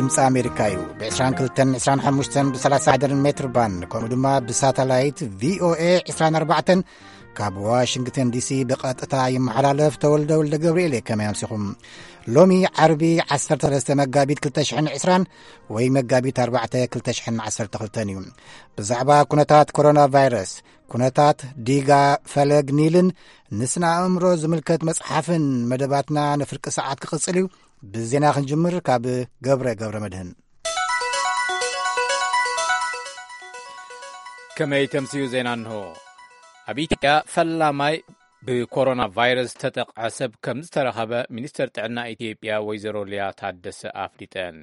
ድምፂ ኣሜሪካ እዩ። ብ22፣ 25፣ ብ30 ደርን ሜትር ባንድ፣ ከምኡ ድማ ብሳተላይት ቪኦኤ 24 ካብ ዋሽንግተን ዲሲ ብቐጥታ ይመሓላለፍ። ተወልደ ወልደ ገብርኤል እየ። ከመይ ኣምሲኹም? ሎሚ ዓርቢ 13 መጋቢት 2020 ወይ መጋቢት 4 2012 እዩ። ብዛዕባ ኩነታት ኮሮና ቫይረስ፣ ኩነታት ዲጋ ፈለግ ኒልን ንስነ ኣእምሮ ዝምልከት መጽሓፍን መደባትና ንፍርቂ ሰዓት ክቕጽል እዩ። ብዜና ክንጅምር ካብ ገብረ ገብረ መድህን። ከመይ ተምስዩ ዜና እንሆ። ኣብ ኢትዮጵያ ፈላማይ ብኮሮና ቫይረስ ዝተጠቕዐ ሰብ ከም ዝተረኸበ ሚኒስተር ጥዕና ኢትዮጵያ ወይዘሮ ሊያ ታደሰ ኣፍሊጠን።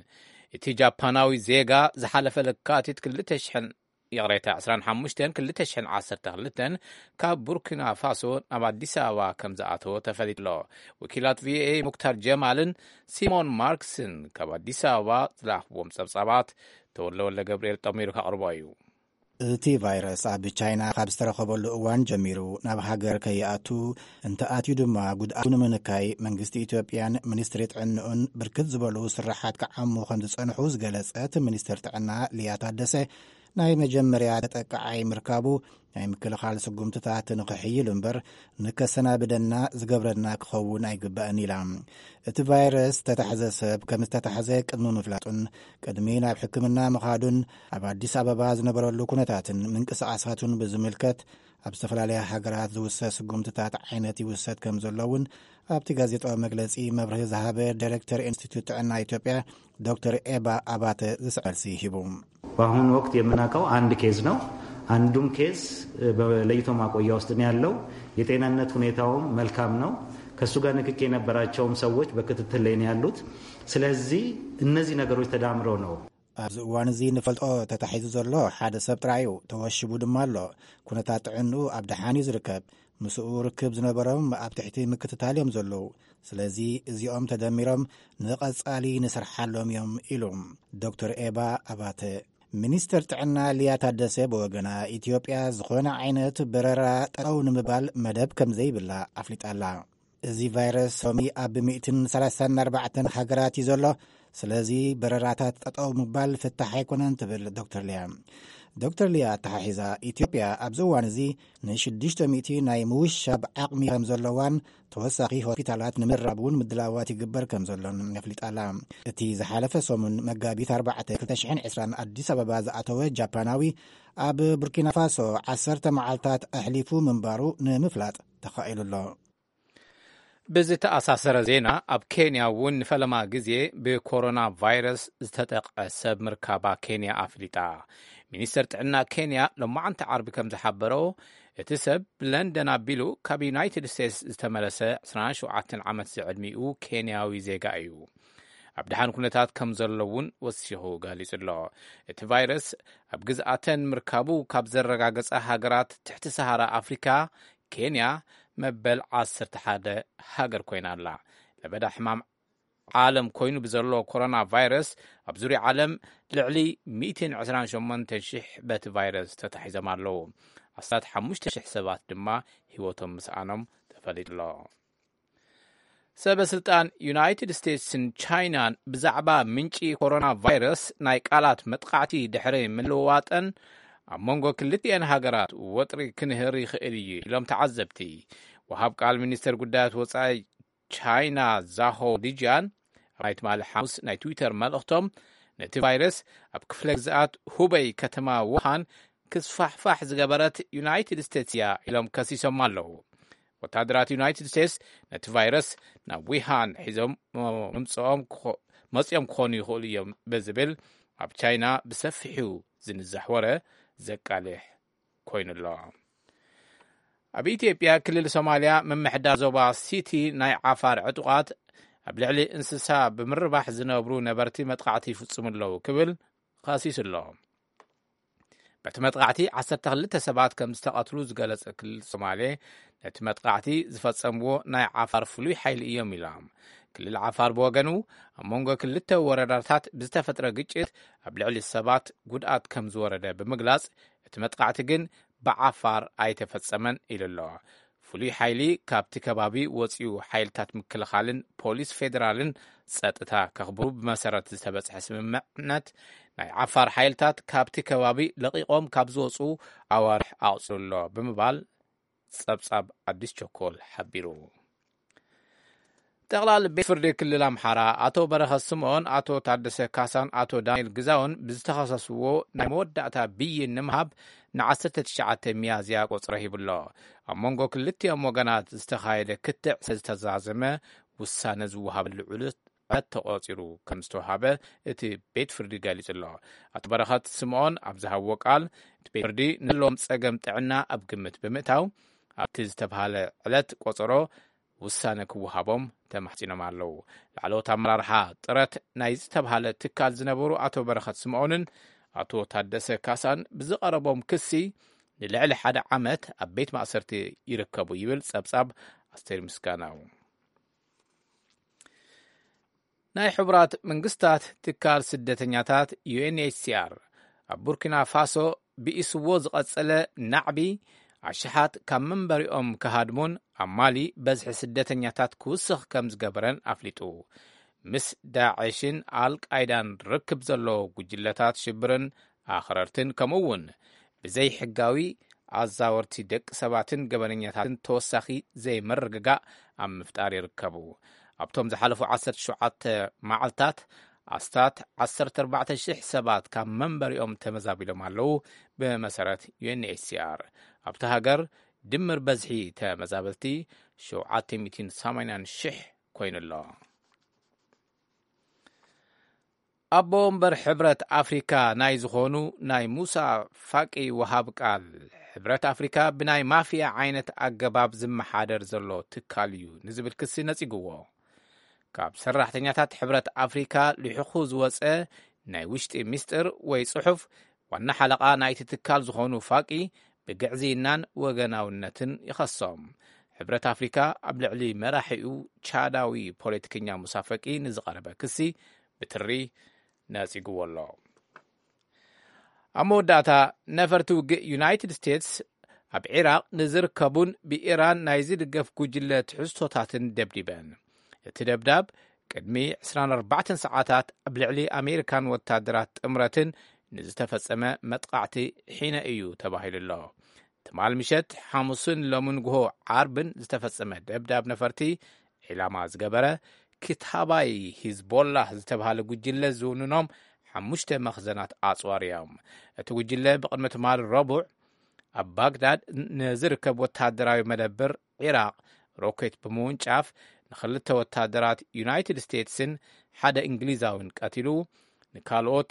እቲ ጃፓናዊ ዜጋ ዝሓለፈ ለካቲት 2,000፣ ይቕሬታ፣ 25 2012 ካብ ቡርኪና ፋሶ ናብ ኣዲስ ኣበባ ከም ዝኣተወ ተፈሊጡ ኣሎ። ወኪላት ቪኦኤ ሙክታር ጀማልን ሲሞን ማርክስን ካብ ኣዲስ ኣበባ ዝላኽብዎም ጸብጻባት ተወልደ ወልደ ገብርኤል ጠሚሩ ከቕርቦ እዩ። እቲ ቫይረስ ኣብ ቻይና ካብ ዝተረኸበሉ እዋን ጀሚሩ ናብ ሃገር ከይኣቱ፣ እንተኣትዩ ድማ ጉድኣቱ ንምንካይ መንግስቲ ኢትዮጵያን ሚኒስትሪ ጥዕንኡን ብርክት ዝበሉ ስራሓት ክዓሙ ከም ዝጸንሑ ዝገለጸት ሚኒስትር ጥዕና ሊያ ታደሰ፣ ናይ መጀመርያ ተጠቃዓይ ምርካቡ ናይ ምክልኻል ስጉምትታት ንኽሕይል እምበር ንከሰናብደና ዝገብረና ክኸውን ኣይግባእን ኢላ። እቲ ቫይረስ ዝተታሕዘ ሰብ ከም ዝተታሕዘ ቅድሚ ምፍላጡን ቅድሚ ናብ ሕክምና ምኻዱን ኣብ ኣዲስ ኣበባ ዝነበረሉ ኩነታትን ምንቅስቓሳቱን ብዝምልከት ኣብ ዝተፈላለያ ሃገራት ዝውሰድ ስጉምትታት ዓይነት ይውሰድ ከም ዘሎ እውን ኣብቲ ጋዜጣዊ መግለጺ መብርሂ ዝሃበ ዳይሬክተር ኢንስቲትዩት ጥዕና ኢትዮጵያ ዶክተር ኤባ ኣባተ ዝስዕብ መልሲ ሂቡ። በአሁኑ ወቅት የምናውቀው አንድ ኬዝ ነው። አንዱም ኬዝ በለይቶ ማቆያ ውስጥ ነው ያለው። የጤንነት ሁኔታውም መልካም ነው። ከሱ ጋር ንክኪ የነበራቸውም ሰዎች በክትትል ላይ ነው ያሉት። ስለዚህ እነዚህ ነገሮች ተዳምረው ነው። ኣብዚ እዋን እዚ ንፈልጦ ተታሒዙ ዘሎ ሓደ ሰብ ጥራይ እዩ። ተወሽቡ ድማ ኣሎ። ኩነታት ጥዕንኡ ኣብ ደሓን እዩ ዝርከብ። ምስኡ ርክብ ዝነበሮም ኣብ ትሕቲ ምክትታል እዮም ዘለዉ። ስለዚ እዚኦም ተደሚሮም ንቐጻሊ ንሰርሓሎም እዮም ኢሉ ዶክተር ኤባ ኣባተ። ሚኒስተር ጥዕና ሊያ ታደሰ ብወገና፣ ኢትዮጵያ ዝኾነ ዓይነት በረራ ጠጠው ንምባል መደብ ከም ዘይብላ ኣፍሊጣ ኣላ። እዚ ቫይረስ ሎሚ ኣብ 134 ሃገራት እዩ ዘሎ። ስለዚ በረራታት ጠጠው ምባል ፍታሕ ኣይኮነን ትብል ዶክተር ሊያ። ዶክተር ሊያ ኣተሓሒዛ፣ ኢትዮጵያ ኣብዚ እዋን እዚ ን600 ናይ ምውሻብ ዓቕሚ ከም ዘለዋን ተወሳኺ ሆስፒታላት ንምርራብ እውን ምድላዋት ይግበር ከም ዘሎን ኣፍሊጣ ኣላ። እቲ ዝሓለፈ ሰሙን መጋቢት 4 2020 ኣዲስ ኣበባ ዝኣተወ ጃፓናዊ ኣብ ቡርኪና ፋሶ 10 መዓልታት ኣሕሊፉ ምንባሩ ንምፍላጥ ተኻኢሉ ኣሎ። ብዝተኣሳሰረ ዜና፣ ኣብ ኬንያ እውን ንፈለማ ግዜ ብኮሮና ቫይረስ ዝተጠቕዐ ሰብ ምርካባ ኬንያ ኣፍሊጣ። ሚኒስተር ጥዕና ኬንያ ሎማዓንቲ ዓርቢ ከም ዝሓበሮ፣ እቲ ሰብ ብለንደን ኣቢሉ ካብ ዩናይትድ ስቴትስ ዝተመለሰ 27 ዓመት ዝዕድሚኡ ኬንያዊ ዜጋ እዩ። ኣብ ደሓን ኩነታት ከም ዘሎ እውን ወሲኹ ገሊጹ ኣሎ። እቲ ቫይረስ ኣብ ግዝኣተን ምርካቡ ካብ ዘረጋገጸ ሃገራት ትሕቲ ሰሃራ ኣፍሪካ፣ ኬንያ መበል 11 ሃገር ኮይና ኣላ። ለበዳ ሕማም ዓለም ኮይኑ ብዘሎ ኮሮና ቫይረስ ኣብ ዙርያ ዓለም ልዕሊ 128,000 በቲ ቫይረስ ተታሒዞም ኣለዉ። ኣስታት 5,000 ሰባት ድማ ህይወቶም ምስኣኖም ተፈሊጡ ኣሎ። ሰበ ስልጣን ዩናይትድ ስቴትስን ቻይናን ብዛዕባ ምንጪ ኮሮና ቫይረስ ናይ ቃላት መጥቃዕቲ ድሕሪ ምልውዋጠን፣ ኣብ መንጎ ክልቲኤን ሃገራት ወጥሪ ክንህር ይኽእል እዩ ኢሎም ተዓዘብቲ። ወሃብ ቃል ሚኒስተር ጉዳያት ወጻኢ ቻይና ዛሆ ሊጂያን ኣብ ናይ ትማሊ ሓሙስ ናይ ትዊተር መልእኽቶም፣ ነቲ ቫይረስ ኣብ ክፍለ ግዝኣት ሁበይ ከተማ ውሃን ክስፋሕፋሕ ዝገበረት ዩናይትድ ስቴትስ እያ ኢሎም ከሲሶም ኣለዉ። ወታደራት ዩናይትድ ስቴትስ ነቲ ቫይረስ ናብ ዊሃን ሒዞም ምምፅኦም ክኾ-፣ መፅኦም ክኾኑ ይኽእሉ እዮም ብዝብል ኣብ ቻይና ብሰፊሑ ዝንዛሕ ወረ ዘቃልሕ ኮይኑ ኣሎ። ኣብ ኢትዮጵያ ክልል ሶማልያ ምምሕዳር ዞባ ሲቲ ናይ ዓፋር ዕጡቓት ኣብ ልዕሊ እንስሳ ብምርባሕ ዝነብሩ ነበርቲ መጥቃዕቲ ይፍጽሙ ኣለዉ ክብል ኸሲሱ ኣሎ። በቲ መጥቃዕቲ 12 ሰባት ከም ዝተቐትሉ ዝገለጸ ክልል ሶማሌ፣ ነቲ መጥቃዕቲ ዝፈጸምዎ ናይ ዓፋር ፍሉይ ሓይሊ እዮም ኢሎም። ክልል ዓፋር ብወገኑ፣ ኣብ መንጎ ክልተ ወረዳታት ብዝተፈጥረ ግጭት ኣብ ልዕሊ ሰባት ጉድኣት ከም ዝወረደ ብምግላጽ፣ እቲ መጥቃዕቲ ግን ብዓፋር ኣይተፈጸመን ኢሉ ኣሎ። ፍሉይ ሓይሊ ካብቲ ከባቢ ወፂኡ ሓይልታት ምክልኻልን ፖሊስ ፌዴራልን ጸጥታ ከኽብሩ ብመሰረት ዝተበጽሐ ስምምዕነት፣ ናይ ዓፋር ሓይልታት ካብቲ ከባቢ ለቒቖም ካብ ዝወፁ ኣዋርሕ ኣቑፂሩ ኣሎ ብምባል ጸብጻብ ኣዲስ ቸኮል ሓቢሩ። ጠቕላሊ ቤት ፍርዲ ክልል ኣምሓራ ኣቶ በረኸት ስምኦን፣ ኣቶ ታደሰ ካሳን ኣቶ ዳንኤል ግዛውን ብዝተኸሰስዎ ናይ መወዳእታ ብይን ንምሃብ ን19 ሚያዝያ ቆጽሮ ሂቡሎ። ኣብ መንጎ ክልቲኦም ወገናት ዝተኻየደ ክትዕ ዝተዛዘመ ውሳነ ዝወሃበሉ ዕለት ተቆጺሩ ከም ዝተወሃበ እቲ ቤት ፍርዲ ገሊጹ ኣሎ። ኣቶ በረኸት ስምኦን ኣብ ዝሃብዎ ቃል፣ እቲ ቤት ፍርዲ ንዘለዎም ጸገም ጥዕና ኣብ ግምት ብምእታው ኣብቲ ዝተባህለ ዕለት ቆጸሮ ውሳነ ክወሃቦም ተማሕጺኖም ኣለዉ። ላዕለዎት ኣመራርሓ ጥረት ናይ ዝተባህለ ትካል ዝነበሩ ኣቶ በረኸት ስምኦንን ኣቶ ታደሰ ካሳን ብዝቐረቦም ክሲ ንልዕሊ ሓደ ዓመት ኣብ ቤት ማእሰርቲ ይርከቡ ይብል ጸብጻብ ኣስቴር ምስጋናው። ናይ ሕቡራት መንግስታት ትካል ስደተኛታት፣ ዩ ኤን ኤች ሲ ኣር፣ ኣብ ቡርኪና ፋሶ ብኢስዎ ዝቐጸለ ናዕቢ ኣሽሓት ካብ መንበሪኦም ክሃድሙን ኣብ ማሊ በዝሒ ስደተኛታት ክውስኽ ከም ዝገበረን ኣፍሊጡ። ምስ ዳዕሽን ኣልቃይዳን ርክብ ዘለዎ ጉጅለታት ሽብርን ኣኽረርትን፣ ከምኡ እውን ብዘይሕጋዊ ኣዛወርቲ ደቂ ሰባትን ገበነኛታትን ተወሳኺ ዘይምርግጋእ ኣብ ምፍጣር ይርከቡ። ኣብቶም ዝሓለፉ 17 መዓልታት ኣስታት 14,000 ሰባት ካብ መንበሪኦም ተመዛቢሎም ኣለዉ። ብመሰረት ዩ ኤን ኤች ሲ ኣር፣ ኣብቲ ሃገር ድምር በዝሒ ተመዛበልቲ 780,000 ኮይኑ ኣሎ። ኣቦ ወንበር ሕብረት ኣፍሪካ ናይ ዝኾኑ ናይ ሙሳ ፋቂ ወሃብ ቃል፣ ሕብረት ኣፍሪካ ብናይ ማፍያ ዓይነት ኣገባብ ዝመሓደር ዘሎ ትካል እዩ ንዝብል ክሲ ነጺግዎ። ካብ ሰራሕተኛታት ሕብረት ኣፍሪካ ልሒኹ ዝወፀ ናይ ውሽጢ ሚስጥር ወይ ጽሑፍ፣ ዋና ሓለቓ ናይቲ ትካል ዝኾኑ ፋቂ ብግዕዝይናን ወገናውነትን ይኸሶም። ሕብረት ኣፍሪካ ኣብ ልዕሊ መራሒኡ ቻዳዊ ፖለቲከኛ ሙሳ ፈቂ ንዝቐረበ ክሲ ብትሪ ነጺግዎ ኣሎ። ኣብ መወዳእታ፣ ነፈርቲ ውግእ ዩናይትድ ስቴትስ ኣብ ዒራቕ ንዝርከቡን ብኢራን ናይ ዝድገፍ ጉጅለ ትሕዝቶታትን ደብዲበን። እቲ ደብዳብ ቅድሚ 24 ሰዓታት ኣብ ልዕሊ ኣሜሪካን ወታደራት ጥምረትን ንዝተፈጸመ መጥቃዕቲ ሒነ እዩ ተባሂሉ ኣሎ። ትማል ምሸት ሓሙስን ሎምን ንግሆ ዓርብን ዝተፈጸመ ደብዳብ ነፈርቲ ዒላማ ዝገበረ፣ ክታባይ ሂዝቦላህ ዝተባህለ ጉጅለ ዝውንኖም ሓሙሽተ መኽዘናት ኣጽዋር እዮም። እቲ ጉጅለ ብቕድሚ ትማል ረቡዕ ኣብ ባግዳድ ንዝርከብ ወታደራዊ መደብር ዒራቕ ሮኬት ብምውንጫፍ፣ ንኽልተ ወታደራት ዩናይትድ ስቴትስን ሓደ እንግሊዛውን ቀቲሉ፣ ንካልኦት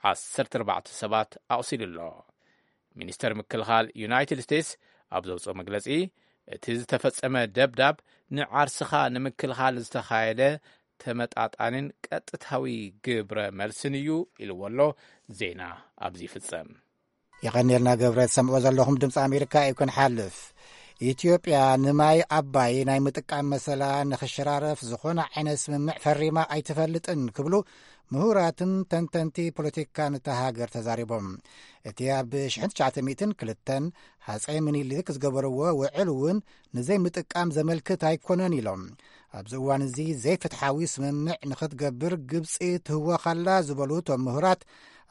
14 ሰባት ኣቑሲሉ ኣሎ። ሚኒስተር ምክልኻል ዩናይትድ ስቴትስ ኣብ ዘውፅኦ መግለፂ፣ እቲ ዝተፈጸመ ደብዳብ ንዓርስኻ ንምክልኻል ዝተኻየደ ተመጣጣንን ቀጥታዊ ግብረ መልስን እዩ ኢልዎ ኣሎ። ዜና ኣብዚ ይፍጸም። የቐንየልና ገብረ። ትሰምዕዎ ዘለኹም ድምፂ ኣሜሪካ እዩ። ክንሓልፍ፣ ኢትዮጵያ ንማይ ኣባይ ናይ ምጥቃም መሰላ ንኽሸራረፍ ዝኾነ ዓይነት ስምምዕ ፈሪማ ኣይትፈልጥን ክብሉ ምሁራትን ተንተንቲ ፖለቲካን እታ ሃገር ተዛሪቦም። እቲ ኣብ 1902 ሃፀይ ምኒልክ ዝገበርዎ ውዕል እውን ንዘይምጥቃም ዘመልክት ኣይኮነን ኢሎም። ኣብዚ እዋን እዚ ዘይፍትሓዊ ስምምዕ ንኽትገብር ግብፂ ትህወኻላ ዝበሉ እቶም ምሁራት፣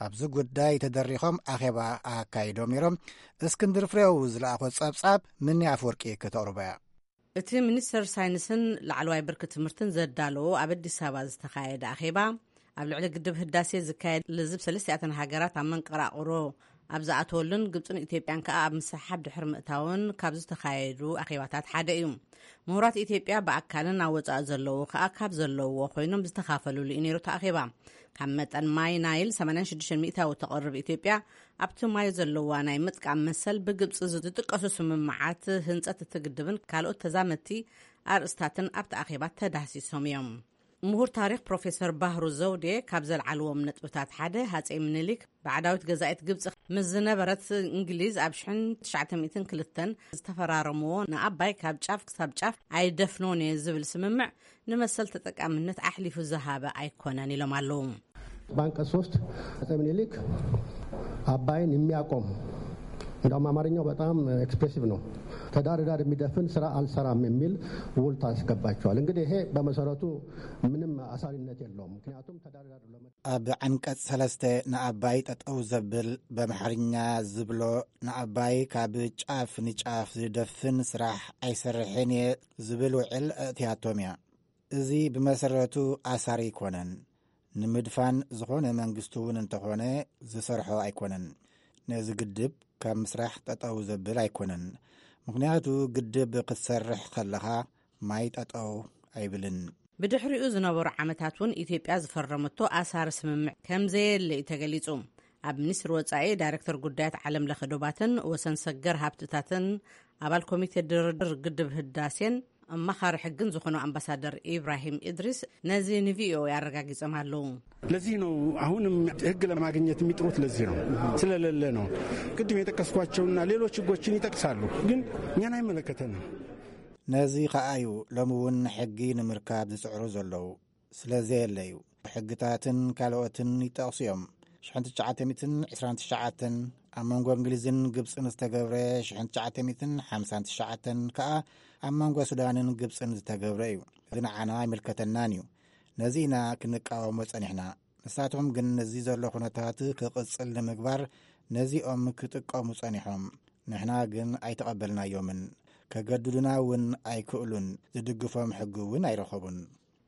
ኣብዚ ጉዳይ ተደሪኾም ኣኼባ ኣካይዶም ነይሮም። እስክንድር ፍሬው ዝለኣኾ ጸብጻብ ምኒ ኣፈወርቂ ከተቕርቦ እያ። እቲ ሚኒስተር ሳይንስን ላዕለዋይ ብርኪ ትምህርትን ዘዳለዎ ኣብ ኣዲስ ኣበባ ዝተኻየደ ኣኼባ፣ ኣብ ልዕሊ ግድብ ህዳሴ ዝካየድ ልዝብ ሰለስቲኣተን ሃገራት ኣብ መንቀራቕሮ ኣብ ዝኣተወሉን ግብፅን ኢትዮጵያን ከኣ ኣብ ምስሕሓብ ድሕሪ ምእታውን ካብ ዝተኻየዱ ኣኼባታት ሓደ እዩ። ምሁራት ኢትዮጵያ ብኣካልን ኣብ ወጻኢ ዘለዉ ከኣ ካብ ዘለውዎ ኮይኖም ዝተኻፈልሉ እዩ ነይሩ እቲ ኣኼባ። ካብ መጠን ማይ ናይል 86% ተቕርብ ኢትዮጵያ፣ ኣብቲ ማይ ዘለዋ ናይ ምጥቃም መሰል ብግብፂ ዝጥቀሱ ስምምዓት ህንፀት እቲ ግድብን ካልኦት ተዛመድቲ ኣርእስታትን ኣብቲ ኣኼባ ተዳህሲሶም እዮም። ምሁር ታሪኽ ፕሮፌሰር ባህሩ ዘውዴ ካብ ዘልዓልዎም ነጥብታት ሓደ፣ ሃፀይ ምኒልክ ባዕዳዊት ገዛኢት ግብፂ ምስ ዝነበረት እንግሊዝ ኣብ 1902 ዝተፈራረምዎ ንኣባይ ካብ ጫፍ ክሳብ ጫፍ ኣይደፍኖን እየ ዝብል ስምምዕ ንመሰል ተጠቃምነት ኣሕሊፉ ዝሃበ ኣይኮነን ኢሎም ኣለዉ። በአንቀጽ 3 አጼ ምኒልክ አባይን የሚያቆም እንደውም አማርኛው በጣም ኤክስፕሬሲቭ ነው። ትዳር ዕዳ የሚደፍን ስራ አልሰራም የሚል ውል ታስገባቸዋል። እንግዲህ ይሄ በመሰረቱ ምንም አሳሪነት የለውም። ምክንያቱም ትዳር ዕዳ ለመ- ኣብ ዓንቀጽ ሰለስተ ንኣባይ ጠጠው ዘብል፣ በምሓርኛ ዝብሎ፣ ንኣባይ ካብ ጫፍ ንጫፍ ዝደፍን ስራሕ ኣይሰርሕን እየ ዝብል ውዕል ኣእትያቶም እያ። እዚ ብመሰረቱ ኣሳሪ ኣይኮነን። ንምድፋን ዝኾነ መንግስቲ እውን እንተኾነ ዝሰርሖ ኣይኮነን። ነዚ ግድብ ካብ ምስራሕ ጠጠው ዘብል ኣይኮነን። ምኽንያቱ ግድብ ክትሰርሕ ከለኻ ማይ ጠጠው ኣይብልን። ብድሕሪኡ ዝነበሩ ዓመታት እውን ኢትዮጵያ ዝፈረመቶ ኣሳሪ ስምምዕ ከም ዘየለ እዩ ተገሊጹ። ኣብ ሚኒስትሪ ወጻኢ ዳይሬክተር ጉዳያት ዓለም ለኸ ዶባትን ወሰን ሰገር ሃብትታትን ኣባል ኮሚቴ ድርድር ግድብ ህዳሴን ኣማኻሪ ሕግን ዝኾኑ ኣምባሳደር ኢብራሂም ኢድሪስ ነዚ ንቪኦኤ ኣረጋጊጾም ኣለዉ። ለዚህ ነው አሁንም ህግ ለማግኘት የሚጥሩት። ለዚህ ነው፣ ስለሌለ ነው። ቅድም የጠቀስኳቸውና ሌሎች ህጎችን ይጠቅሳሉ፣ ግን እኛን አይመለከተንም። ነዚ ከኣ እዩ ሎሚ እውን ሕጊ ንምርካብ ዝጽዕሩ ዘለዉ። ስለ ዘየለ እዩ። ሕግታትን ካልኦትን ይጠቕሱ እዮም። ሽሕን ትሽዓተ ሚእትን ዕስራን ትሽዓተን ኣብ መንጎ እንግሊዝን ግብጽን ዝተገብረ፣ ሽሕን ትሽዓተ ሚእትን ሓምሳን ትሽዓተን ከኣ ኣብ መንጎ ሱዳንን ግብጽን ዝተገብረ እዩ። እዚ ንዓና ኣይምልከተናን እዩ። ነዚ ኢና ክንቃወሞ ጸኒሕና። ንሳቶም ግን ነዚ ዘሎ ኩነታት ክቕጽል ንምግባር ነዚኦም ክጥቀሙ ጸኒሖም። ንሕና ግን ኣይተቐበልናዮምን። ከገድዱና እውን ኣይክእሉን። ዝድግፎም ሕጊ እውን ኣይረኸቡን።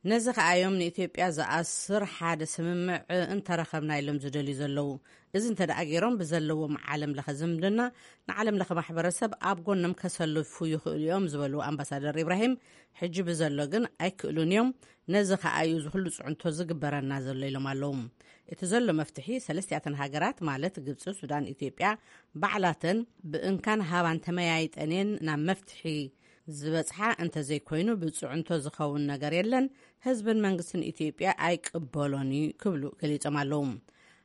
ነዚ ከኣ እዮም ንኢትዮጵያ ዝኣስር ሓደ ስምምዕ እንተረኸብና ኢሎም ዝደልዩ ዘለዉ። እዚ እንተ ደኣ ገይሮም ብዘለዎም ዓለም ለኸ ዝምድና ንዓለም ለኸ ማሕበረሰብ ኣብ ጎኖም ከሰልፉ ይኽእሉ እዮም ዝበሉ ኣምባሳደር ኢብራሂም፣ ሕጂ ብዘሎ ግን ኣይክእሉን እዮም። ነዚ ከኣ እዩ ዝኹሉ ጽዕንቶ ዝግበረና ዘሎ ኢሎም ኣለዉ። እቲ ዘሎ መፍትሒ ሰለስቲኣተን ሃገራት ማለት ግብጺ፣ ሱዳን፣ ኢትዮጵያ ባዕላተን ብእንካን ሃባን ተመያይጠን እየን ናብ መፍትሒ ዝበጽሓ። እንተዘይኮይኑ ብጽዕንቶ ዝኸውን ነገር የለን። ህዝብን መንግስትን ኢትዮጵያ ኣይቅበሎን እዩ ክብሉ ገሊጾም ኣለዉ።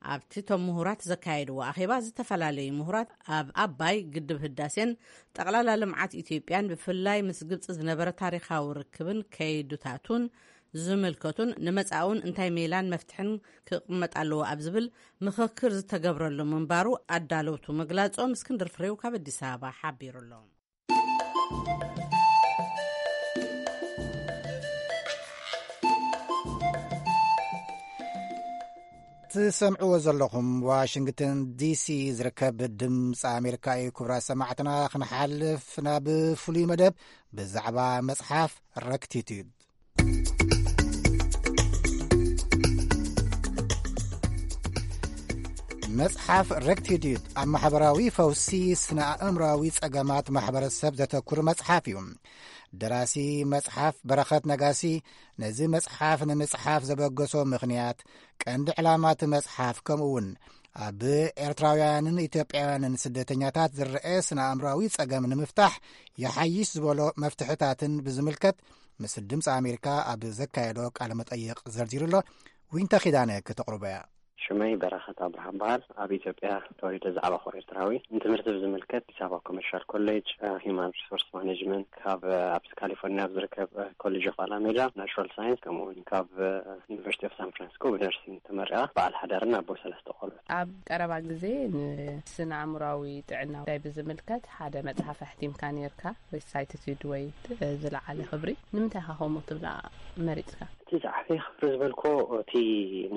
ኣብቲ እቶም ምሁራት ዘካየድዎ ኣኼባ ዝተፈላለዩ ምሁራት ኣብ ኣባይ ግድብ ህዳሴን ጠቕላላ ልምዓት ኢትዮጵያን ብፍላይ ምስ ግብጺ ዝነበረ ታሪኻዊ ርክብን ከይዱታቱን ዝምልከቱን ንመጻእውን እንታይ ሜላን መፍትሕን ክቕመጥ ኣለዎ ኣብ ዝብል ምኽክር ዝተገብረሉ ምንባሩ ኣዳለውቱ ምግላጾም እስክንድር ፍሬው ካብ ኣዲስ ኣበባ ሓቢሩ ኣሎ። ትሰምዕዎ ዘለኹም ዋሽንግተን ዲሲ ዝርከብ ድምፂ ኣሜሪካ እዩ። ክቡራት ሰማዕትና፣ ክንሓልፍ ናብ ፍሉይ መደብ ብዛዕባ መፅሓፍ ረክቲቲዩድ። መጽሓፍ ረክቲቲዩድ ኣብ ማሕበራዊ ፈውሲ፣ ስነ ኣእምራዊ ጸገማት ማሕበረሰብ ዘተኩር መጽሓፍ እዩ። ደራሲ መጽሓፍ በረኸት ነጋሲ ነዚ መጽሓፍ ንምጽሓፍ ዘበገሶ ምኽንያት፣ ቀንዲ ዕላማ እቲ መጽሓፍ፣ ከምኡ እውን ኣብ ኤርትራውያንን ኢትዮጵያውያንን ስደተኛታት ዝረአ ስነ ኣእምራዊ ጸገም ንምፍታሕ ይሓይሽ ዝበሎ መፍትሕታትን ብዝምልከት ምስ ድምፂ ኣሜሪካ ኣብ ዘካየዶ ቃለ መጠይቕ ዘርዚሩ ኣሎ። ዊንታ ኪዳነ ከተቕርቦ እያ። ሽመይ በረኸት ኣብርሃ በሃል። ኣብ ኢትዮጵያ ተወሊደ ዝዓበኹ ኤርትራዊ። ንትምህርቲ ብዝምልከት ኣዲስ ኣበባ ኮመርሻል ኮሌጅ ሂማን ሪሶርስ ማኔጅመንት፣ ካብ ኣብ ካሊፎርኒያ ኣብ ዝርከብ ኮሌጅ ኦፍ ኣላሜዳ ናቹራል ሳይንስ፣ ከምኡ እውን ካብ ዩኒቨርሲቲ ኦፍ ሳን ፍራንሲስኮ ብነርሲንግ ተመሪቓ፣ በዓል ሓዳርን ኣቦ ሰለስተ ቆልዑ። ኣብ ቀረባ ግዜ ንስነ ኣእምራዊ ጥዕና ጉዳይ ብዝምልከት ሓደ መጽሓፍ ኣሕቲምካ ነርካ፣ ሪሳይትቲድ ወይ ዝለዓለ ክብሪ። ንምንታይ ኢኻ ከምኡ ትብላ መሪጽካ? እቲ ዝዓበየ ክብሪ ዝበልኮ እቲ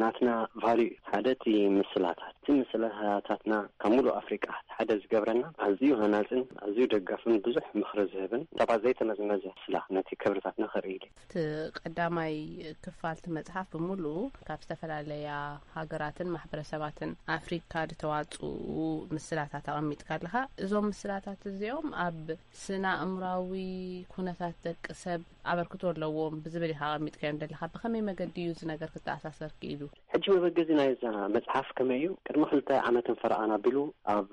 ናትና ቫልዩ እዩ። ሓደ እቲ ምስላታት፣ እቲ ምስላታትና ካብ ሙሉእ ኣፍሪቃ ሓደ ዝገብረና፣ ኣዝዩ ሃናጽን ኣዝዩ ደጋፍን ብዙሕ ምኽሪ ዝህብን ሰባት ዘይተመዝመዘ ስላ ነቲ ክብርታትና ከርኢ ኢሉ። እቲ ቀዳማይ ክፋል እቲ መጽሓፍ ብምሉኡ ካብ ዝተፈላለያ ሃገራትን ማሕበረሰባትን ኣፍሪካ ዝተዋፅኡ ምስላታት ኣቐሚጥካ ኣለኻ። እዞም ምስላታት እዚኦም ኣብ ስነ ኣእምራዊ ኩነታት ደቂ ሰብ ኣበርክቶ ኣለዎም ብዝብል ኢኻ ኣቐሚጥካዮም ዘለኻ። ብኸመይ መገዲ እዩ እዚ ነገር ክተኣሳሰር ክኢሉ? ሕጂ መበገዚ ናይዛ መጽሓፍ ከመይ እዩ? ቅድሚ ክልተ ዓመትን ፈረቓን ኣቢሉ ኣብ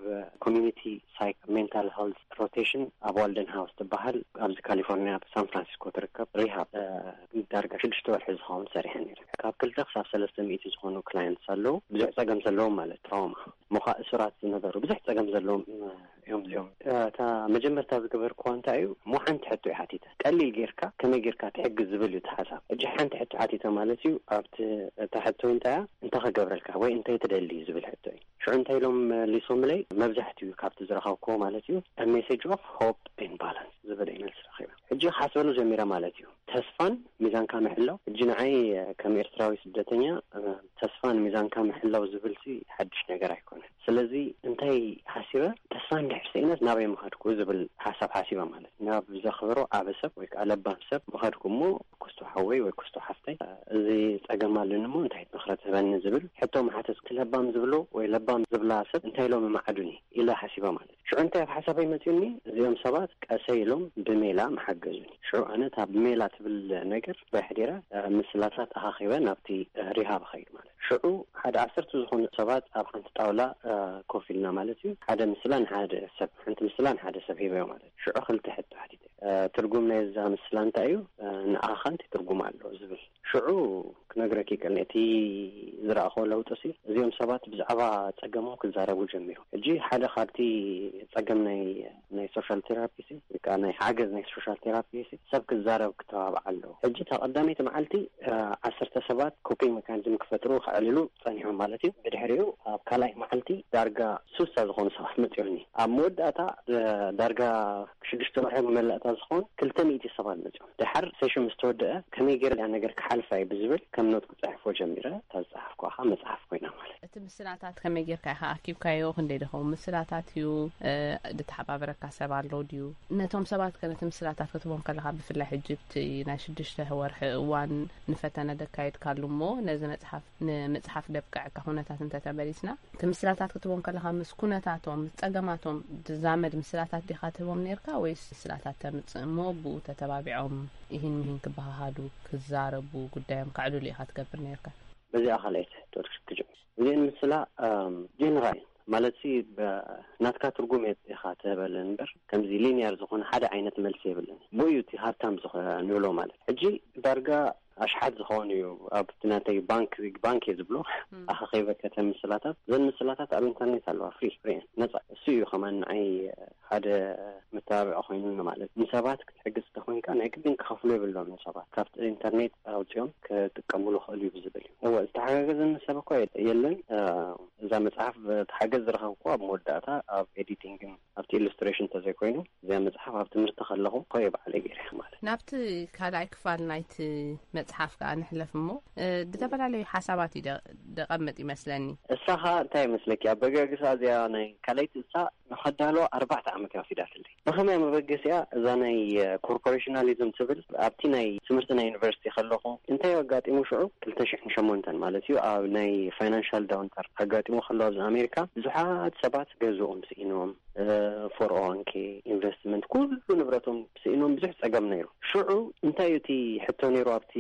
ኮሚኒቲ ሳይክ ሜንታል ሄልት ሮቴሽን ኣብ ዋልደን ሃውስ ትበሃል፣ ኣብዚ ካሊፎርኒያ ኣብ ሳን ፍራንሲስኮ ትርከብ ሪሃብ፣ እ፣ ዳርጋ ሽዱሽተ ወርሒ ዝኸውን ሰሪሐ ነይረ። ካብ ክልተ ክሳብ ሰለስተ ሚእቲ ዝኾኑ ክላየንትስ ኣለዉ፣ ብዙሕ ጸገም ዘለዎም ማለት ትራውማ፣ እሞ ኸኣ እሱራት ዝነበሩ ብዙሕ ጸገም ዘለዎም እዮም እዚኦም። እታ መጀመርታ ዝገበርክዋ እንታይ እዩ? እሞ ሓንቲ ሕቶ እየ ሓቲተ። ቀሊል ጌርካ፣ ከመይ ጌርካ ትሕግዝ ዝብል እዩ እቲ ሓሳብ። ሕጂ ሓንቲ ሕቶ ሓቲተ ማለት እዩ። ኣብቲ፣ እታ ሕቶ እንታይ እንታይ ክገብረልካ ወይ እንታይ ትደሊ ዝብል ሕቶ እዩ። ሽዑ እንታይ ኢሎም መሊሶምለይ? መብዛሕትኡ ካብቲ ዝረኸብክዎ ማለት እዩ፣ a message of hope and balance ዝብል እዩ መልሲ ረኺበ። ሕጂ ክሓስበሉ ጀሚረ ማለት እዩ። ተስፋን ሚዛንካ ምሕላው። ሕጂ ንዓይ ከም ኤርትራዊ ስደተኛ ተስፋን ሚዛንካ ምሕላው ዝብልሲ ሓድሽ ነገር ኣይኮነን። ስለዚ እንታይ ሓሲበ? ተስፋ እንድሕር ስኢነስ ናበይ ምኸድኩ ዝብል ሓሳብ ሓሲበ ማለት ናብ ዘኽብሮ ዓበ ሰብ ወይ ከዓ ለባም ሰብ ምኸድኩ እሞ፣ ክስቶ ሓወይ ወይ ክስቶ ሓፍተይ፣ እዚ ጸገም ኣለኒ እሞ እንታይ ምኽረ ትህበኒ ዝብል ሕቶ ምሓተት። ለባም ዝብሎ ወይ ለባም ዝብላ ሰብ እንታይ ኢሎም ይመዓዱኒ ኢለ ሓሲበ ማለት። ሽዑ እንታይ ኣብ ሓሳበይ መጺኡኒ? እዚኦም ሰባት ቀሰይ ኢሎም ብሜላ ምሓገዙኒ። ሽዑ ኣነ እታ ብሜላ ትብል ነገር ባሕዲራ ምስላታት ኣኻኺበ ናብቲ ሪሃብ ኸይድ ማለት። ሽዑ ሓደ ዓሰርተ ዝኾኑ ሰባት ኣብ ሓንቲ ጣውላ ኮፍ ኢልና ማለት እዩ። ሓደ ምስላ ንሓደ ሰብ፣ ሓንቲ ምስላ ንሓደ ሰብ ሂበዮ ማለት። ሽዑ ክልተ ሕቶ ሓቲተ። ትርጉም ናይ እዛ ምስላ እንታይ እዩ? ንኣኻ ከንቲ ትርጉም ኣሎ ዝብል። ሽዑ ክነግረኪ ይቀል እቲ ዝረኣኸ ለውጥሲ፣ እዚኦም ሰባት ብዛዕባ ጸገሞም ክዛረቡ ጀሚሩ። ሕጂ ሓደ ካብቲ ጸገም ናይ ናይ ሶሻል ቴራፒ ሲ፣ ወይ ከዓ ናይ ሓገዝ ናይ ሶሻል ቴራፒ ሲ፣ ሰብ ክዛረብ ክተባብዓ ኣለዎ። ሕጂ እታ ቀዳመይቲ መዓልቲ ዓሰርተ ሰባት ኮፒንግ ሜካኒዝም ክፈጥሩ ከዕልሉ ጸኒሖም ማለት እዩ። ብድሕሪኡ ኣብ ካልኣይ መዓልቲ ዳርጋ ሱሳ ዝኾኑ ሰባት መጺኦኒ። ኣብ መወዳእታ ዳርጋ ሽዱሽተ ወርሒ መመላእታ ዝኾን ክልተ ሚእቲ ሰባት መጺኦም። ድሓር ሴሽን ምስ ተወደአ ከመይ ገይረ እዛ ነገር ክሓልፋ እዩ ብዝብል ከም ኖት ክጽሕፎ ጀሚረ። እታ ዝጸሓፍኩ ከዓ መጽሓፍ ኮይና ማለት። እቲ ምስላታት ከመይ ጌርካ ኢኻ ኣኪብካዮ? ክንደይ ደኸው ምስላታት እዩ? ድተሓባበረካ ሰብ ኣሎ ድዩ? ነቶም ሰባት ከ ነቲ ምስላታት ክትቦም ከለኻ፣ ብፍላይ ሕጂ ብቲ ናይ ሽዱሽተ ወርሒ እዋን ንፈተነ ደካየድካሉ እሞ ነዚ መጽሓፍ ንምጽሓፍ ደብቀዐካ ኩነታት እንተተመሊስና፣ እቲ ምስላታት ክትቦም ከለኻ ምስ ኩነታቶም ምስ ጸገማቶም ዝዛመድ ምስላታት ዲኻ ትህቦም ነርካ፣ ወይስ ምስላታት ተምጽእ እሞ ብኡ ተተባቢዖም ይህን ምሂን ክበሃሃሉ ክዛረቡ ጉዳዮም ከዕልሉ ኢኻ ትገብር ነርካ? በዚኣ ካልኣይት ዶክተር ክጅምር እዚአን ምስላ ጀነራል ማለት ሲ ናትካ ትርጉም ኢኻ ትህበለን እምበር ከምዚ ሊኒያር ዝኾነ ሓደ ዓይነት መልሲ የብለን። ብኡ እዩ እቲ ሃብታም ዝኾ ንብሎ ማለት። ሕጂ ዳርጋ ኣሽሓት ዝኾኑ እዩ ኣብቲ ናተይ ባንክ፣ ቢግ ባንክ እየ ዝብሎ፣ ኣኸኸይበ ከተን ምስላታት። እዘን ምስላታት ኣብ ኢንተርኔት ኣለዋ፣ ፍሪ ፍሪ እየን፣ ነፃ። እሱ እዩ ከማን ንዓይ ሓደ መተባብዒ ኮይኑኒ ማለት። ንሰባት ክትሕግዝ እንተኮይንካ ናይ ግድን ክኸፍሉ የብሎም። ንሰባት ካብቲ ኢንተርኔት ኣውፅኦም ክጥቀሙሉ ክእሉ እዩ ብዝብል እዩ። እወ፣ ዝተሓጋገዘኒ ሰብ እኮ የለን። እዛ መፅሓፍ ተሓገዝ ዝረኸብኩ ኣብ መወዳእታ ኣብ ኤዲቲንግን ኣብቲ ኢሉስትሬሽን እንተዘይኮይኑ እዚኣ መፅሓፍ ኣብ ትምህርቲ ከለኹ ኮየ ባዕለይ ገይረ ማለት። ናብቲ ካልኣይ ክፋል ናይቲ መፅሓፍ ከዓ ንሕለፍ እሞ፣ እ፣ ዝተፈላለዩ ሓሳባት እዩ ደ-፣ ደቐምጥ ይመስለኒ። እሳ ከዓ እንታይ ይመስለኪ? ኣበጋግሳ እዚኣ ናይ ካልኣይቲ እሳ ንኸዳሎ ኣርባዕተ ዓመት እያ ወሲዳትለይ። ብኸመይ መበገሲያ እዛ ናይ ኮርፖሬሽናሊዝም ትብል ኣብቲ ናይ ትምህርቲ ናይ ዩኒቨርሲቲ ከለኹ እንታይ ኣጋጢሙ ሽዑ ክልተ ሽሕን ሸሞንተን ማለት እዩ ኣብ ናይ ፋይናንሻል ዳውንተር ኣጋጢሙ ከሎ ኣብዚ ኣሜሪካ ብዙሓት ሰባት ገዝኦም ስኢኖም ፎር ኦ ዋን ኬ ኢንቨስትመንት ኩሉ ንብረቶም ስኢኖም ብዙሕ ጸገም ነይሩ። ሽዑ እንታይ እዩ እቲ ሕቶ ነይሩ ኣብቲ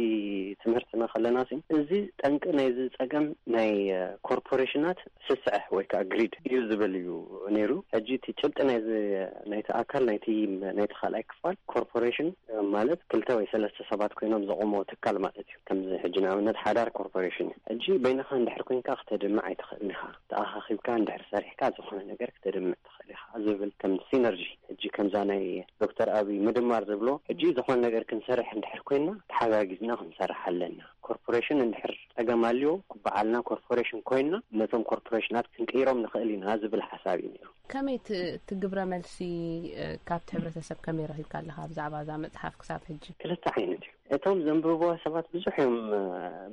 ትምህርትና ከለና ሲ፣ እዚ ጠንቂ ናይዚ ጸገም ናይ ኮርፖሬሽናት ስስዐ ወይ ከዓ ግሪድ እዩ ዝብል እዩ ነይሩ። ሕጂ እቲ ጭብጢ ናይዚ ናይቲ ኣካል ናይቲ ናይቲ ካልኣይ ክፋል ኮርፖሬሽን ማለት ክልተ ወይ ሰለስተ ሰባት ኮይኖም ዘቆምዎ ትካል ማለት እዩ። ከምዚ ሕጂ ንኣብነት ሓዳር ኮርፖሬሽን እዩ። ሕጂ በይንኻ እንድሕር ኮይንካ ክተድምዕ ኣይትኽእልን ኢኻ። ተኣኻኺብካ እንድሕር ሰሪሕካ ዝኾነ ነገር ክተድምዕ ትኽእል ኢኻ ዝብል ከም ሲነርጂ፣ ሕጂ ከምዛ ናይ ዶክተር ኣብይ ምድማር ዝብሎ፣ ሕጂ ዝኾነ ነገር ክንሰርሕ እንድሕር ኮይንና ተሓጋጊዝና ክንሰርሕ ኣለና። ኮርፖሬሽን እንድሕር ጸገም ኣልዮ ባዕልና ኮርፖሬሽን ኮይንና ነቶም ኮርፖሬሽናት ክንቅይሮም ንኽእል ኢና ዝብል ሓሳብ እዩ ነይሩ። ከመይ እቲ፣ እቲ ግብረ መልሲ፣ እ፣ ካብቲ ሕብረተሰብ ከመይ ረኺብካ ኣለኻ ብዛዕባ እዛ መጽሓፍ ክሳብ ሕጂ? ክልተ ዓይነት እዩ። እቶም ዘንብብዋ ሰባት ብዙሕ እዮም፣ እ፣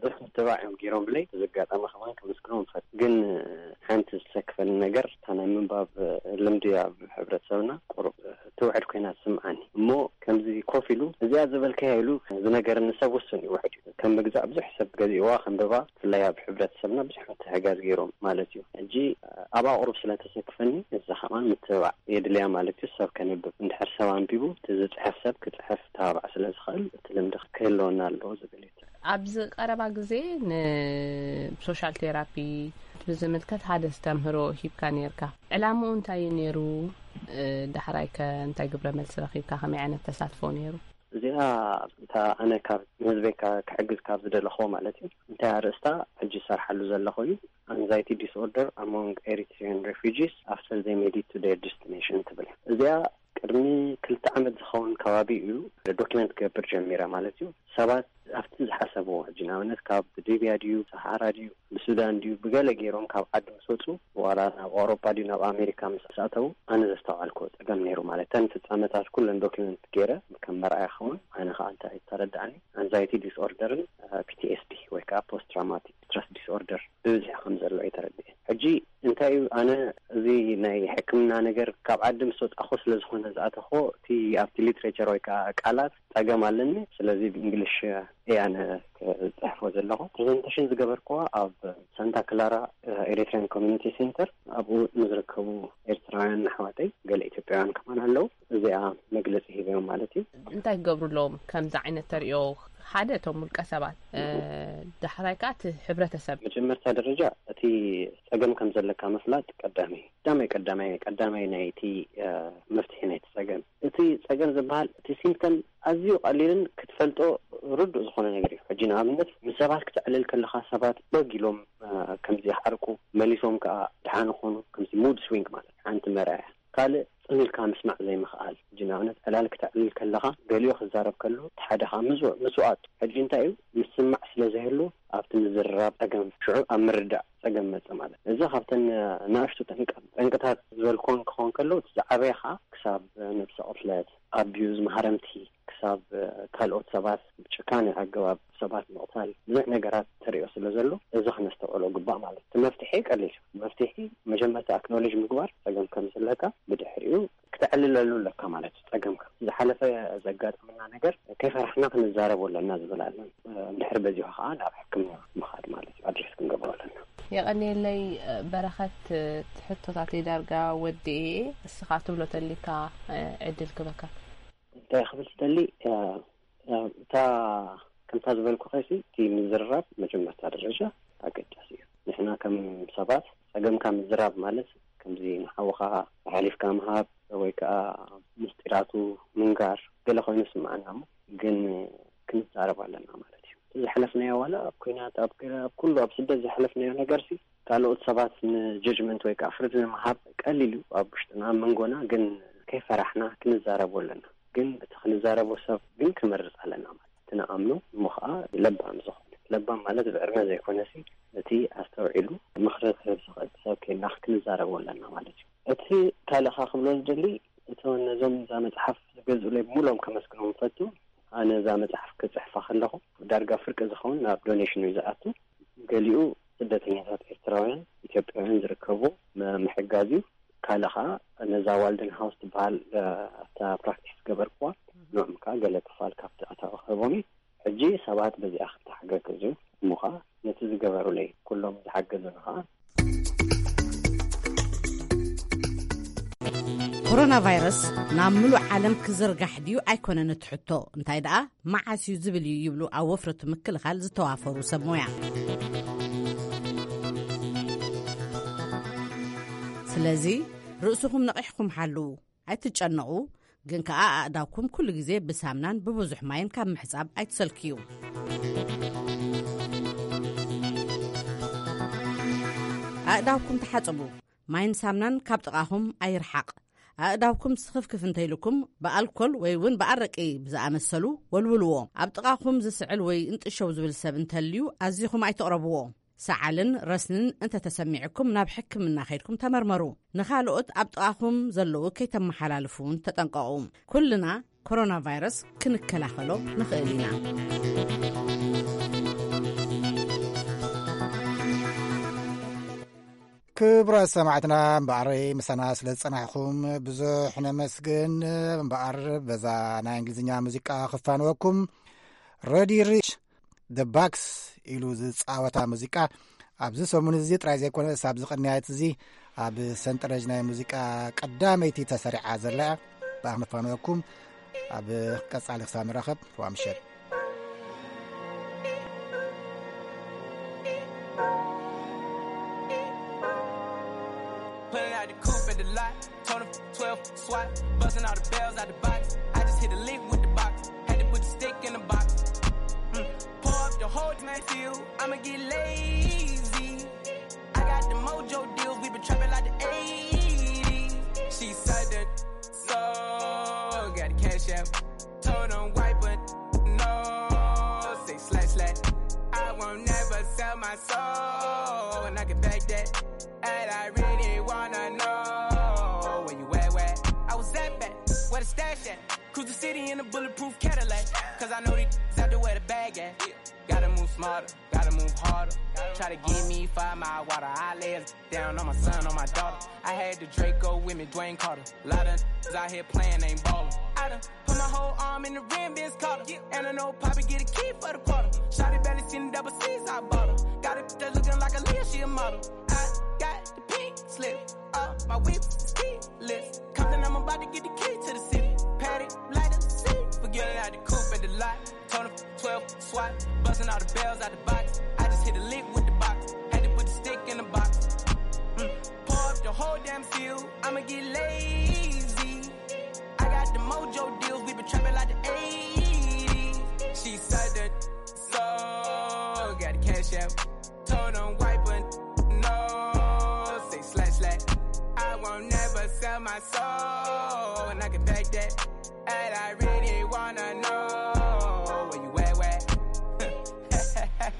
ብዙሕ ምትባዕ እዮም ገይሮምለይ። በዚ ኣጋጣሚ ከማን ከመስግኖም እፈቱ። ግን፣ እ፣ ሓንቲ ዝሰክፈኒ ነገር እታ ናይ ምንባብ፣ እ፣ ልምዲ ኣብ ሕብረተሰብና ቁሩብ፣ እ፣ ትውሕድ ኮይና ትስምዓኒ። እሞ ከምዚ ኮፍ ኢሉ እዚኣ ዝበልካያ ኢሉ ዝነገረኒ ሰብ ውሱን እዩ፣ ውሑድ እዩ። ከም ምግዛእ ብዙሕ ሰብ ገዚእዋ ከንብባ፣ ብፍላይ ኣብ ሕብረተሰብና ብዙሕ ምትሕጋዝ ገይሮም ማለት እዩ። ሕጂ ኣብኣ ቁሩብ ስለ ተሰክፈኒ ንሳ ከማን ምትብባዕ የድልያ ማለት እዩ። ሰብ ከንብብ እንድሕር ሰብ ኣንቢቡ እቲ ዝፅሕፍ ሰብ ክፅሕፍ ተባባዕ ስለ ዝኽእል እቲ ልምዲ ክህልወና ኣለዎ ዝብል እዩ። ኣብዚ ቀረባ ግዜ ንሶሻል ቴራፒ ብዝምልከት ሓደ ዝተምህሮ ሂብካ ነይርካ። ዕላምኡ እንታይ እዩ ነይሩ? እ፣ ዳሕራይ ከ እንታይ ግብረ መልሲ ረኺብካ? ከመይ ዓይነት ተሳትፎ ነይሩ? እዚኣ እታ ኣነ ካብ ንህዝበይ ካ-፣ ክሕግዝ ካብ ዝደለኹዎ ማለት እዩ። እንታይ ኣርእስታ ሕጂ ዝሰርሓሉ ዘለኹ እዩ። Anxiety disorder among Eritrean refugees after they made it to their destination ትብል። እዚኣ ቅድሚ ክልተ ዓመት ዝኸውን ከባቢ እዩ ዶክመንት ክገብር ጀሚረ ማለት እዩ። ሰባት ኣብቲ ዝሓሰ ሕጂ ንኣብነት ካብ ሊብያ ድዩ፣ ሰሃራ ድዩ፣ ብሱዳን ድዩ፣ ብገለ ገይሮም ካብ ዓዲ ምስ ወፁ፣ ዋላ ናብ ኣውሮፓ ድዩ ናብ ኣሜሪካ ምስ ኣተዉ፣ ኣነ ዘስተውዓልኩ ፀገም ነይሩ። ማለት፣ ተን ፍፃመታት ኩለን ዶክመንት ገይረ ከም መርኣያ ክኸውን፣ ኣነ ከዓ እንታይ ተረዳእኒ፣ ኣንዛይቲ ዲስኦርደርን ፒቲኤስዲ ወይ ከዓ ፖስት ትራውማቲክ ስትረስ ዲስኦርደር ብብዝሒ ከም ዘሎ እዩ ተረዲኤ። ሕጂ እንታይ እዩ፣ ኣነ እዚ ናይ ሕክምና ነገር ካብ ዓዲ ምስ ወፃኹ ስለ ዝኾነ ዝኣተኹ፣ እቲ ኣብቲ ሊትሬቸር ወይ ከዓ ቃላት ፀገም ኣለኒ። ስለዚ ብእንግሊሽ እየ ኣነ ክፅሕፎ ዘለኹ። ፕሬዘንቴሽን ዝገበርኩዋ ኣብ ሳንታ ክላራ ኤሪትሪያን ኮሚኒቲ ሴንተር፣ ኣብኡ ንዝርከቡ ኤርትራውያን ኣሕዋተይ፣ ገለ ኢትዮጵያውያን ከማን ኣለዉ። እዚኣ መግለፂ ሂበዮም ማለት እዩ። እንታይ ክገብሩ ኣለዎም ከምዚ ዓይነት ተሪኦ? ሓደ፣ እቶም ውልቀ ሰባት፣ እ፣ ዳሕራይ ከዓ እቲ ሕብረተሰብ። መጀመርታ ደረጃ እቲ ፀገም ከም ዘለካ ምፍላጥ ቀዳሚ፣ ቀዳማይ፣ ቀዳማይ፣ ቀዳማይ ናይቲ፣ እ፣ መፍትሒ ናይቲ ፀገም። እቲ ፀገም ዝበሃል፣ እቲ ሲምፕተም ኣዝዩ ቀሊልን ክትፈልጦ ርዱእ ዝኾነ ነገር እዩ። ሕጂ ንኣብነት ምስ ሰባት ክትዕልል ከለኻ ሰባት በግ ኢሎም፣ እ፣ ከምዚ ይሓርቁ፣ መሊሶም ከዓ ደሓን ይኾኑ፣ ከምዚ ሙድ ስዊንግ ማለት ሓንቲ መርኣያ። ካልእ ጽን ኢልካ ምስማዕ ዘይምኽኣል። ሕጂ ንኣብነት ዕላል ክተዕልል ከለኻ ገሊኡ ክዛረብ ከሎ እቲ ሓደ ኸኣ ምስው-፣ ምስዋኣቱ። ሕጂ እንታይ እዩ? ምስማዕ ስለ ዘይህሉ ኣብቲ ምዝርራብ ጸገም፣ ሽዑ ኣብ ምርዳእ ጸገም መጽእ ማለት። እዚ ካብተን ንኣሽቱ ጠንቀ-፣ ጠንቅታት ዝበልኩወን ክኸውን ከሎ፣ እቲ ዝዓበየ ኸኣ ክሳብ ነብሰ ቅትለት፣ ኣቢዩዝ፣ ማህረምቲ፣ ክሳብ ካልኦት ሰባት ብጭካነ ኣገባብ ሰባት ምቕታል፣ ብዙሕ ነገራት ተሪኦ ስለ ዘሎ፣ እዚ ክነስተውዕሎ ግባእ ማለት እዩ። እቲ መፍትሒ ቀሊል እዩ። መፍትሒ መጀመርታ ኣክኖሌጅ ምግባር ጸገም ከም ዘለካ፣ ብድሕሪኡ ክተዕልለሉ ኣለካ ማለት እዩ ጸገምካ። ዝሓለፈ ዘጋጠመና ነገር ከይፈራሕና ክንዛረቦ ኣለና ዝብል ኣሎ። እንድሕር በዚሑ ከኣ ናብ ሕክምና ምኻድ ማለት እዩ። ኣድሬስ ክንገብሮ ኣለና። የቐንየለይ በረኸት፣ ሕቶታተይ ዳርጋ ወዲኤ። እስኻ ትብሎ ተሊካ ዕድል ክበካ። እንታይ ክብል ዝደሊ፣ እ፣ እ፣ እታ ከምታ ዝበልኩኺ፣ እቲ ምዝርራብ መጀመርታ ደረጃ ኣገዳሲ እዩ። ንሕና ከም ሰባት ጸገምካ ምዝራብ ማለት ከምዚ ንሓውኻ ሓሊፍካ ምሃብ ወይ ከኣ ምስጢራቱ ምንጋር ገለ ኮይኑ ይስምዓና እሞ፣ ግን ክንዛረብ ኣለና ማለት እዩ። እቲ ዝሓለፍናዮ ዋላ ኣብ ኲናት፣ ኣብ ገለ፣ ኣብ ኩሉ ኣብ ስደት ዝሓለፍናዮ ነገርሲ ካልኦት ሰባት ንጀጅመንት ወይ ከኣ ፍርዲ ንምሃብ ቀሊል እዩ ኣብ ውሽጥና፣ ኣብ መንጎና። ግን ከይፈራሕና ክንዛረቦ ኣለና። ግን እቲ ክንዛረቦ ሰብ ግን ክመርጽ ኣለና ማለት እቲ ንኣምኖ እሞ ኸኣ ለባም ዝኾነ። ለባም ማለት ብዕድመ ዘይኮነሲ፣ እቲ ኣስተውዒሉ ምኽሪ ክህብ ዝኽእል ሰብ ኬንና ክንዛረቦ ኣለና ማለት እዩ። እቲ ካልእ ኸኣ ክብሎ ዝደሊ፣ እቶ ነዞም እዛ መጽሓፍ ዝገዝኡለይ ብምሉኦም ከመስግኖም እፈቱ። ኣነ እዛ መጽሓፍ ክጽሕፋ ከለኹ ዳርጋ ፍርቂ ዝኸውን ናብ ዶኔሽን እዩ ዝኣቱ። ገሊኡ ስደተኛታት ኤርትራውያን፣ ኢትዮጵያውያን ዝርከቡ ም-፣ ምሕጋዝ እዩ። ካልእ ኸኣ ነዛ ዋልደን ሃውስ ትበሃል፣ እ፣ ኣብታ ፕራክቲስ ዝገበርኩዋ፣ ንዕም ከኣ ገለ ክፋል ካብቲ ኣታዊ ክህቦም እዩ። ሕጂ ሰባት በዚኣ ክተሓጋገዙ እሞ ኸኣ ነቲ ዝገበሩለይ ኩሎም ዝሓገዙኒ ኸኣ። ኮሮና ቫይረስ ናብ ምሉእ ዓለም ክዝርጋሕ ድዩ ኣይኮነን እቲ ሕቶ፣ እንታይ ደኣ መዓስ እዩ ዝብል እዩ ይብሉ ኣብ ወፍረቱ ምክልኻል ዝተዋፈሩ ሰብ ሞያ። ስለዚ ርእስኹም ነቒሕኩም ሓልዉ፣ ኣይትጨነቑ፣ ግን ከኣ ኣእዳውኩም ኩሉ ግዜ ብሳምናን ብብዙሕ ማይን ካብ ምሕጻብ ኣይትሰልክዩ። ኣእዳውኩም ተሓጽቡ፣ ማይን ሳምናን ካብ ጥቓኹም ኣይርሓቕ። ኣእዳውኩም ስኽፍክፍ እንተኢሉኩም ብኣልኮል ወይ እውን ብኣረቂ ብዝኣመሰሉ ወልውልዎ። ኣብ ጥቓኹም ዝስዕል ወይ እንጥሸው ዝብል ሰብ እንተልዩ ኣዚኹም ኣይትቕረብዎ። ሰዓልን ረስንን እንተተሰሚዕኩም ናብ ሕክምና ከይድኩም ተመርመሩ። ንኻልኦት ኣብ ጥቓኹም ዘለዉ ከይተመሓላልፉ እውን ተጠንቀቑ። ኩልና ኮሮና ቫይረስ ክንከላኸሎ ንኽእል ኢና። ክቡራት ሰማዕትና፣ እምበኣር ምሳና ስለ ዝጸናሕኩም ብዙሕ ነመስግን። እምበኣር በዛ ናይ እንግሊዝኛ ሙዚቃ ክፋንወኩም፣ ረዲ ሪች ደ ባክስ ኢሉ ዝጻወታ ሙዚቃ ኣብዚ ሰሙን እዚ ጥራይ ዘይኮነስ ኣብዚ ቅንያት እዚ ኣብ ሰንጠረዥ ናይ ሙዚቃ ቀዳመይቲ ተሰሪዓ ዘላ እያ። ብኣኽንፋንወኩም ኣብ ቀጻሊ ክሳብ ንራኸብ፣ ርዋ ምሸት። Pulling out the coupe at the lot, told him twelve swat, busting all the bells out the box. I just hit a lick with the box, had to put the stick in the box. Mm. Pour up the whole Matthew, I'ma get lazy. I got the mojo deals, we been trapping like the eighties. She said that so, got the cash out. Told him wipe it, no, say slash slash. I can back that. And I really wanna know where you at, where I was at, back where the stash at. Cruise the city in a bulletproof Cadillac. Cause I know these out there where the bag at. Gotta move smarter, gotta move harder. Try to give me five mile water. I lay it down on my son, on my daughter. I had the Draco with me, Dwayne Carter. A lot of niggas out here playing, ain't ballin'. I done put my whole arm in the rim, Vince Carter. And I know Poppy get a key for the quarter. Shawty barely seen the double C's I bought her. Got it that looking like a Leah, she a model. I got the pink slip up, my whip is keyless. Compton, I'm about to get the key to the city. Patty, light up the city. Forget it out the coupe at the lot. Told her twelve swat, busting all the bells out the box. I just hit a lick with the box. Had to put the stick in the box. Mm. Pour up the whole damn field. I'ma get lazy. I got the mojo deals. We been trapping like the eighties. She said that so got the cash out. Told him wipe a no. Say slash slash. I won't never sell my soul. And I can back that. And I really wanna know where you at, where.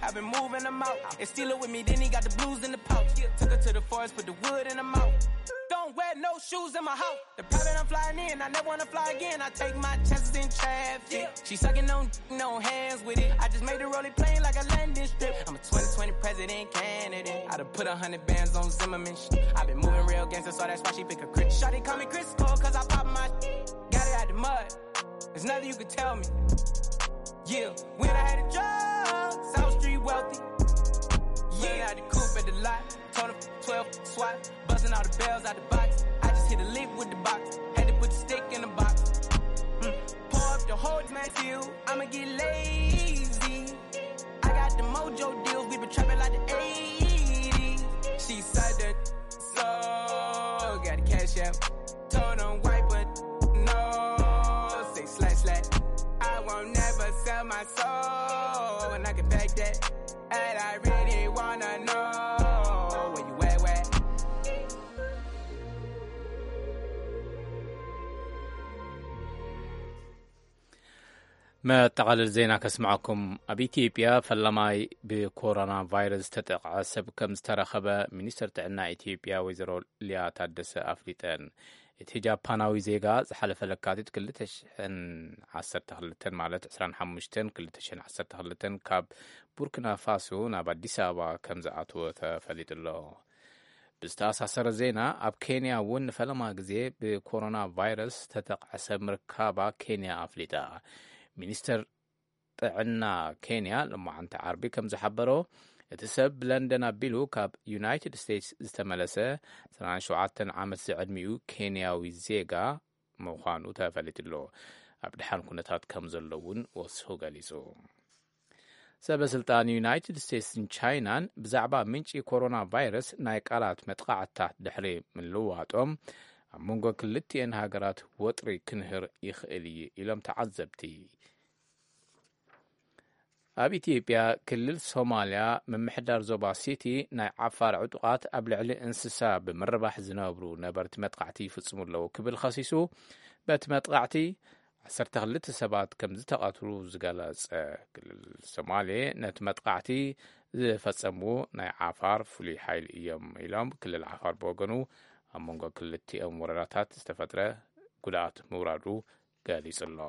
I've been moving them out. And steal it with me, then he got the blues in the pouch. Took her to the forest, put the wood in the mouth. Don't wear no shoes in my house. The private I'm flying in, I never wanna fly again. I take my chances in traffic. She sucking on no hands with it. I just made the rolling plane like a landing strip. I'm a twenty twenty president candidate. I done put a hundred bands on Zimmerman. Sh- I been moving real gangster, so that's why she pick a crit. Shawty call me Chris Cole, cause I pop my got it out the mud. There's nothing you can tell me. Yeah, when I had a job, South Street wealthy. Yeah, I had the coupe at the lot. Told him twelve swat, busting all the bells out the box. I just hit a lick with the box. Had to put the stick in the box. Mm. Pour up the whole Matthew, I'ma get lazy. I got the mojo deals, we been trapping like the eighties. She said that so got the cash out. Told him wipe a no, say slash slash. I won't never sell my soul, and I can back that. And I really wanna know where you at, where. መጠቓለል ዜና ከስምዓኩም። ኣብ ኢትዮጵያ ፈላማይ ብኮሮና ቫይረስ ዝተጠቕዐ ሰብ ከም ዝተረኸበ ሚኒስትር ጥዕና ኢትዮጵያ ወይዘሮ ሊያ ታደሰ ኣፍሊጠን። እቲ ጃፓናዊ ዜጋ ዝሓለፈ ለካቲት ክልተ ሽሕን ዓሰርተ ክልተን፣ ማለት ዕስራን ሓሙሽተን ክልተ ሽሕን ዓሰርተ ክልተን፣ ካብ ቡርኪና ፋሶ ናብ ኣዲስ ኣበባ ከም ዝኣተወ ተፈሊጡ ኣሎ። ብዝተኣሳሰረ ዜና፣ ኣብ ኬንያ እውን ንፈለማ ግዜ ብኮሮና ቫይረስ ዝተጠቕዐ ሰብ ምርካባ ኬንያ ኣፍሊጣ። ሚኒስተር ጥዕና ኬንያ ሎማዓንቲ ዓርቢ ከም ዝሓበሮ፣ እቲ ሰብ ብለንደን ኣቢሉ ካብ ዩናይትድ ስቴትስ ዝተመለሰ ዕስራን ሸውዓተን ዓመት ዝዕድሚኡ ኬንያዊ ዜጋ ምዃኑ ተፈሊጡ ኣሎ። ኣብ ድሓን ኩነታት ከም ዘሎ እውን ወሲኹ ገሊጹ። ሰበ ስልጣን ዩናይትድ ስቴትስን ቻይናን ብዛዕባ ምንጪ ኮሮና ቫይረስ ናይ ቃላት መጥቓዕትታት ድሕሪ ምልውዋጦም፣ ኣብ መንጎ ክልቲኤን ሃገራት ወጥሪ ክንህር ይኽእል እዩ ኢሎም ተዓዘብቲ። ኣብ ኢትዮጵያ ክልል ሶማልያ ምምሕዳር ዞባ ሲቲ ናይ ዓፋር ዕጡቓት ኣብ ልዕሊ እንስሳ ብምርባሕ ዝነብሩ ነበርቲ መጥቃዕቲ ይፍጽሙ ኣለዉ ክብል ኸሲሱ፣ በቲ መጥቃዕቲ ዓሰርተ ክልተ ሰባት ከም ዝተቐትሉ ዝገለጸ ክልል ሶማሌ፣ ነቲ መጥቃዕቲ ዝፈጸሙ ናይ ዓፋር ፍሉይ ሓይሊ እዮም ኢሎም። ክልል ዓፋር ብወገኑ፣ ኣብ መንጎ ክልቲኦም ወረዳታት ዝተፈጥረ ጉድኣት ምውራዱ ገሊጹ ኣሎ።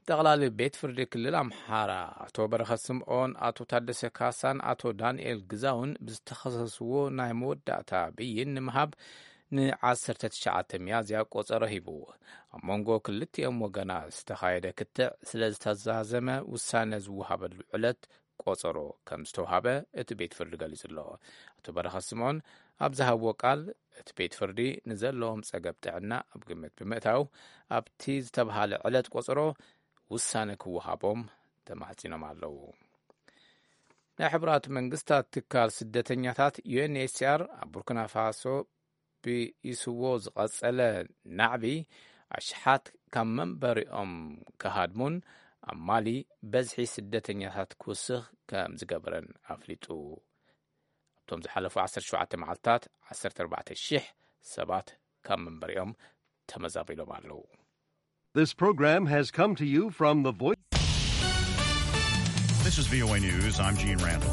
ጠቕላሊ ቤት ፍርዲ ክልል ኣምሓራ ኣቶ በረኸት ስምዖን፣ ኣቶ ታደሰ ካሳን ኣቶ ዳንኤል ግዛውን ብዝተኸሰስዎ ናይ መወዳእታ ብይን ንምሃብ ንዓሰርተ ትሽዓተ ሚያዝያ ቆጸሮ ሂቡ። ኣብ መንጎ ክልቲኦም ወገናት ዝተኻየደ ክትዕ ስለ ዝተዛዘመ፣ ውሳነ ዝወሃበሉ ዕለት ቆጸሮ ከም ዝተውሃበ እቲ ቤት ፍርዲ ገሊጹ ኣሎ። ኣቶ በረኸት ስምዖን ኣብ ዝሃብዎ ቃል፣ እቲ ቤት ፍርዲ ንዘለዎም ጸገም ጥዕና ኣብ ግምት ብምእታው፣ ኣብቲ ዝተብሃለ ዕለት ቆጸሮ ውሳነ ክወሃቦም ተማሕጺኖም ኣለዉ። ናይ ሕቡራት መንግስታት ትካል ስደተኛታት ዩ ኤን ኤች ሲ ኣር ኣብ ቡርኪና ፋሶ ብኢስዎ ዝቐጸለ ናዕቢ፣ ኣሽሓት ካብ መንበሪኦም ክሃድሙን ኣብ ማሊ በዝሒ ስደተኛታት ክውስኽ ከም ዝገበረን ኣፍሊጡ። ኣብቶም ዝሓለፉ ዓሰርተ ሸውዓተ መዓልታት ዓሰርተ ኣርባዕተ ሽሕ ሰባት ካብ መንበሪኦም ተመዛቢሎም ኣለዉ። This program has come to you from the Voice. This is V O A News. I'm Gene Randall.